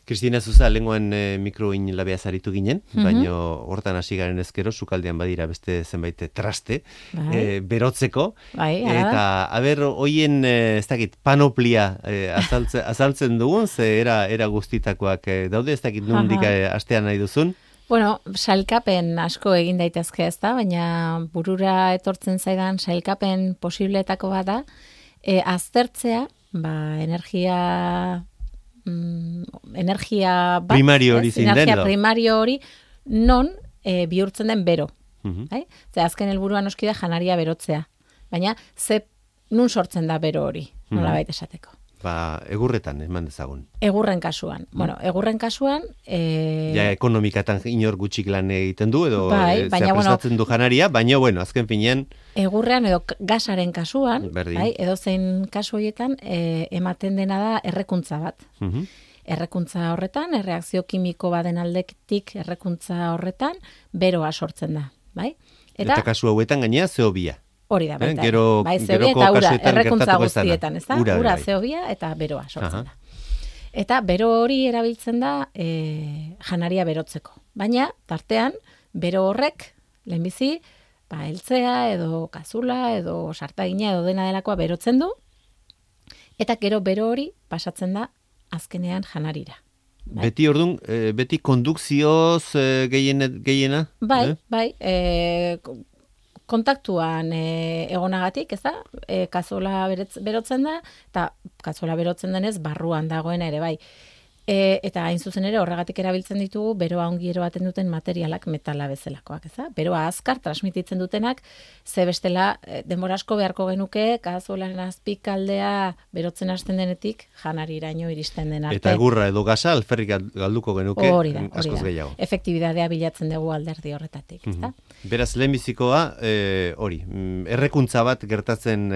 Kristina Zuza, lenguan mikroin labea zaritu ginen, baina hortan hasi garen ezkero, sukaldean badira beste zenbait traste, berotzeko, eta, hoien, ez dakit, panoplia azaltzen dugun, ze era guztitakoak daude, ez dakit nondik astean nahi duzun? Bueno, sailkapen asko egin daitezke ez da, baina burura etortzen zaidan sailkapen posibleetako bat da, aztertzea, energia primario hori zein den, energia primario hori non bihurtzen den bero. Ze azken helburua noski da janaria berotzea, baina nun sortzen da bero hori, nolabait esateko. Egurretan, eman dezagun. Egurren kasuan. Bueno, egurren kasuan... ekonomikatan inor gutxik lan egiten du, edo prestatzen du janaria, baina, azken finean... Egurrean edo gasaren kasuan, edo zein kasu horietan, ematen dena da errekuntza bat. Errekuntza horretan, erreakzio kimiko baden aldetik errekuntza horretan, beroa sortzen da. Eta kasu hauetan gainea zeobia. Hori da, baita. Geroko kasuetan gertatuko ez da. Ura, zeobia eta beroa sortzen da. Eta bero hori erabiltzen da janaria berotzeko. Baina, tartean, bero horrek, lehenbizi, heltzea edo kazula edo sartagina edo dena delakoa berotzen du, eta gero bero hori pasatzen da azkenean janarira. Beti ordun, beti kondukzioz gehiena? Bai, kontaktuan egonagatik, ez da? Kazola berotzen da, eta kazola berotzen denez barruan dagoena ere, bai. Eta hain zuzen ere horregatik erabiltzen ditugu beroa ongi eroaten duten materialak metala bezalakoak, ez da? Beroa azkar transmititzen dutenak, ze bestela denbora asko beharko genuke, kazolaren azpikaldea berotzen hasten denetik janariraino iristen den arte. Eta egurra edo gasa alferrik galduko genuke askoz gehiago. Efektibitatea bilatzen dugu alderdi horretatik, ez da? Beraz, lehenbizikoa, hori, errekuntza bat gertatzen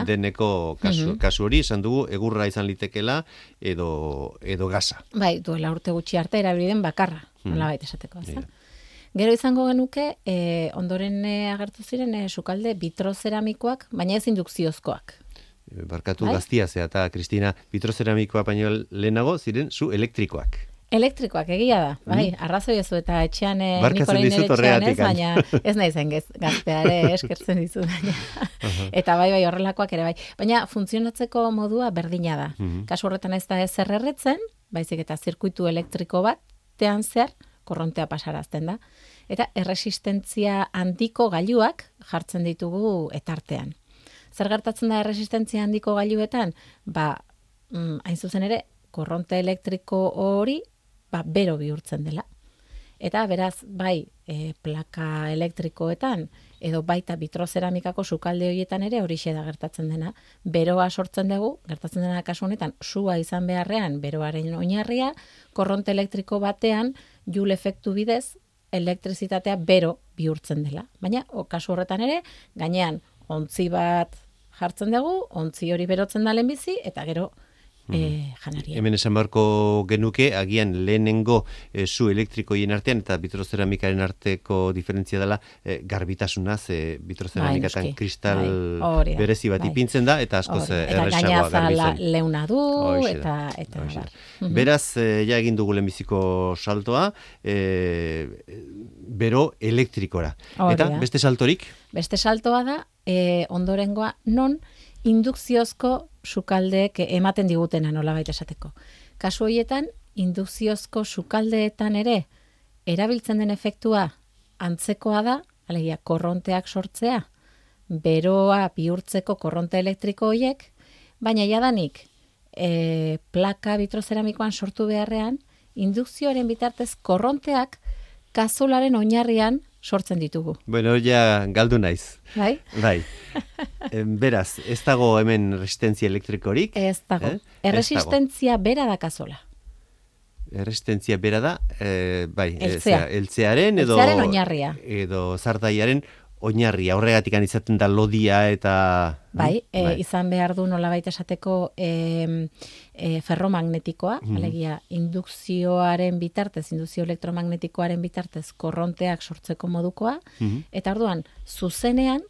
deneko kasu hori, esan dugu, egurra izan litekela edo gasa. Bai, duela urte gutxi arte erabili den bakarra, nolabait esateko, ez da? Gero izango genuke, ondoren agertu ziren sukalde vitrozeramikoak, baina ez indukziozkoak. Barkatu gaztia zea, eta Kristina, vitrozeramikoa baino lehenago ziren zu elektrikoak. Elektrikoak egia da, bai, arrazoi ezu eta etxean nik orain ere etxean ez, baina ez nahi zen gazteare eskertzen dizu. Eta bai horrelakoak ere bai. Baina funtzionatzeko modua berdina da. Kasu horretan ez da ezer erretzen, baizik eta zirkuitu elektriko batean zer korrontea pasarazten da. Eta erresistentzia handiko gailuak jartzen ditugu etartean. Zer gertatzen da erresistentzia handiko gailuetan? Hain zuzen ere, korronte elektriko hori bero bihurtzen dela. Eta beraz, bai, plaka elektrikoetan, edo baita vitrozeramikako sukalde horietan ere horixe da gertatzen dena. Beroa sortzen dugu, gertatzen dena kasu honetan, sua izan beharrean beroaren oinarria, korronte elektriko batean, Joule efektu bidez, elektrizitatea bero bihurtzen dela. Baina, kasu horretan ere, gainean, ontzi bat jartzen dugu, ontzi hori berotzen da lehenbizi, eta gero, janaria. Hemen esan beharko genuke, agian lehenengo su elektrikoien artean eta vitrozeramikaren arteko diferentzia dela garbitasunaz, vitrozeramikatan kristal berezi bat ipintzen da, eta askoz erresagoa garbitzen. Eta gaina leuna du, eta beraz, ja egin dugu lehenbiziko saltoa, bero elektrikora. Eta beste saltorik? Beste saltoa da, ondorengoa non indukziozko sukaldeek ematen digutena nolabait esateko. Kasu horietan, indukziozko sukaldeetan ere erabiltzen den efektua antzekoa da, alegia korronteak sortzea, beroa bihurtzeko korronte elektriko horiek, baina jadanik plaka vitrozeramikoan sortu beharrean, indukzioaren bitartez korronteak kazolaren oinarrian sortzen ditugu. Bueno, ja galdu naiz. Bai? Bai. Beraz, ez dago hemen resistentzia elektrikorik? Ez dago. Erresistentzia bera da kazola. Erresistentzia bera da, bai, eltzearen oinarria. Edo zardaiaren oinarria, horregatik izaten da lodia eta... Bai, izan behar du nolabait esateko ferromagnetikoa, alegia indukzioaren bitartez, indukzio elektromagnetikoaren bitartez korronteak sortzeko modukoa, eta orduan, zuzenean,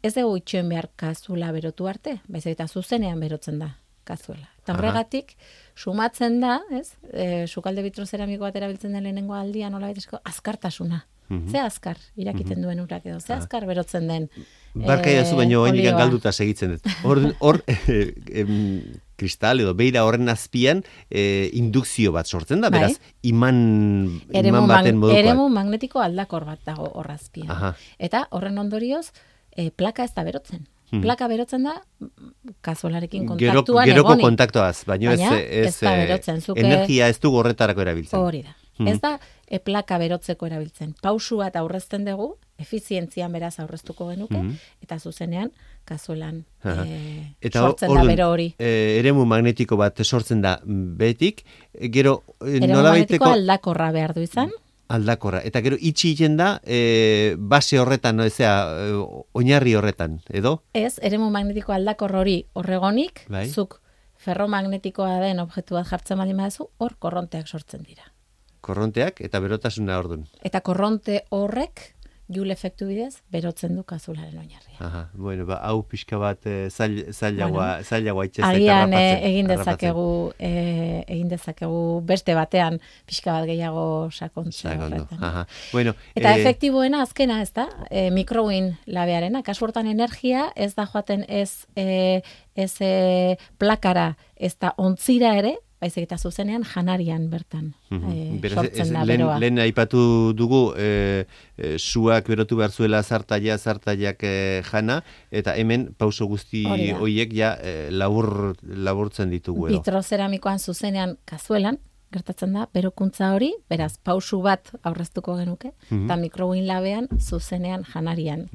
ez dugu itxoen behar kazula berotu arte, baizik eta zuzenean berotzen da kazuela. Eta horregatik, sumatzen da, ez? Sukalde bitrozeramiko bat erabiltzen den lehenengo aldia, nola baitezko, azkartasuna. Ze azkar irakiten duen urak edo, ze azkar berotzen den Barkai zu baino oinikan galduta segitzen dut. Hor kristal edo beira horren azpian indukzio bat sortzen da, beraz, iman baten modukoa. Eremu magnetiko aldakor bat dago hor azpian. Eta horren ondorioz, plaka ez da berotzen. Plaka berotzen da, kazuelarekin kontaktuan egonik. Geroko kontaktuaz, baina ez da berotzen. Energia ez du horretarako erabiltzen. Hori da. Ez da plaka berotzeko erabiltzen. Pausu bat aurrezten dugu, efizientzian beraz aurreztuko genuke, eta zuzenean kazuelan sortzen da bero hori. Eremu magnetiko bat sortzen da betik, gero eremu magnetiko aldakorra behar du izan. Aldakorra. Eta gero itxi egiten da base horretan, oinarri horretan, edo? Ez, eremu magnetiko aldakor hori horregonik, zuk ferromagnetikoa den objektu bat jartzen baldin baduzu, hor korronteak sortzen dira. Korronteak eta berotasuna ordun. Eta korronte horrek Joule efektu bidez berotzen du kazularen oinarria. Bueno, hau pixka bat zailagoa itxezak. Agian egin dezakegu beste batean pixka bat gehiago sakontzea horretan. Bueno, eta efektiboena azkena, ez da? Mikrowin labearena, kasu hortan energia ez da joaten ez plakara, ez da ontzira ere, baizik eta zuzenean janarian bertan sortzen da beroa. Lehen aipatu dugu suak berotu behar zuela zartaiak jana, eta hemen pauso guzti horiek ja laburtzen ditugu. Bitrozeramikoan zuzenean kazuelan, gertatzen da, berokuntza hori, beraz, pausu bat aurreztuko genuke, eta mikrowin labean zuzenean janarian.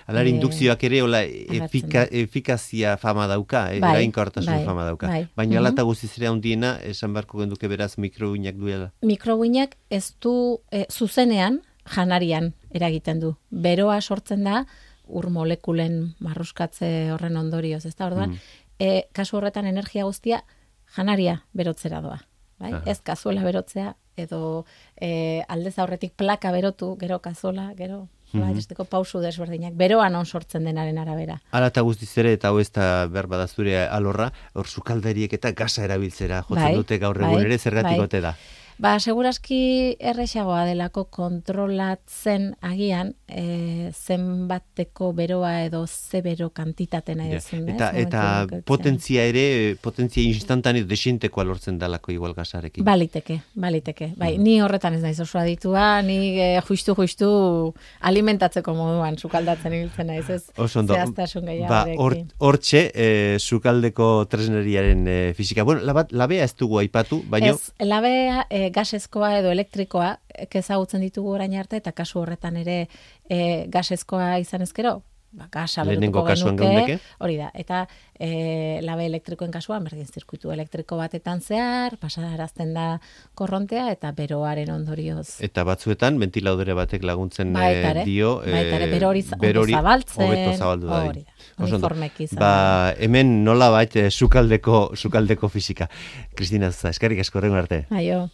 Alar, indukzioak ere, hola, efikazia fama dauka, erainkortasun fama dauka. Baina alata guztiz ere handiena, esan beharko genduke beraz mikrowinak duela. Mikrowinak ez du zuzenean janarian eragiten du. Beroa sortzen da, ur molekulen marruskatze horren ondorioz, ez da, orduan, kasu horretan energia guztia janaria berotzera doa. Bai? Ez kazuela berotzea, edo aldez aurretik plaka berotu, gero kazola, gero esteko pausu desberdinak, beroan on sortzen denaren arabera. Hala eta guztiz ere, eta hau ez da behar badazure alorra, hor sukaldariek eta gaza erabiltzera jotzen dute gaur egun ere zergatik ote da. Seguraski erresagoa delako kontrolatzen agian zenbateko beroa edo ze bero kantitatena edezun. Eta potentzia ere, potentzia instantaneo desientekoa lortzen dalako igual gazarekin. Baliteke. Bai, ni horretan ez naiz oso aditua, ni justu alimentatzeko moduan sukaldatzen ibiltzen naiz, ez zehaztasun gehiagorekin. Hortxe, sukaldeko tresneriaren fisika. Bueno, labea ez dugu aipatu, baina... Ez, labea gasezkoa edo elektrikoa ezagutzen ditugu orain arte, eta kasu horretan ere gasezkoa izan ezkero, gasa berutuko genuke, hori da, eta labe elektrikoen kasuan, berdin zirkuitu elektriko batetan zehar, pasarazten da korrontea, eta beroaren ondorioz. Eta batzuetan, ventilaudere batek laguntzen dio, bero hori zabaltzen, hobeto zabaldu da. Hori da. Uniformeki izan. Hemen nola bait sukaldeko fisika. Kristina Zuza, eskerrik asko horrengo arte. Aio.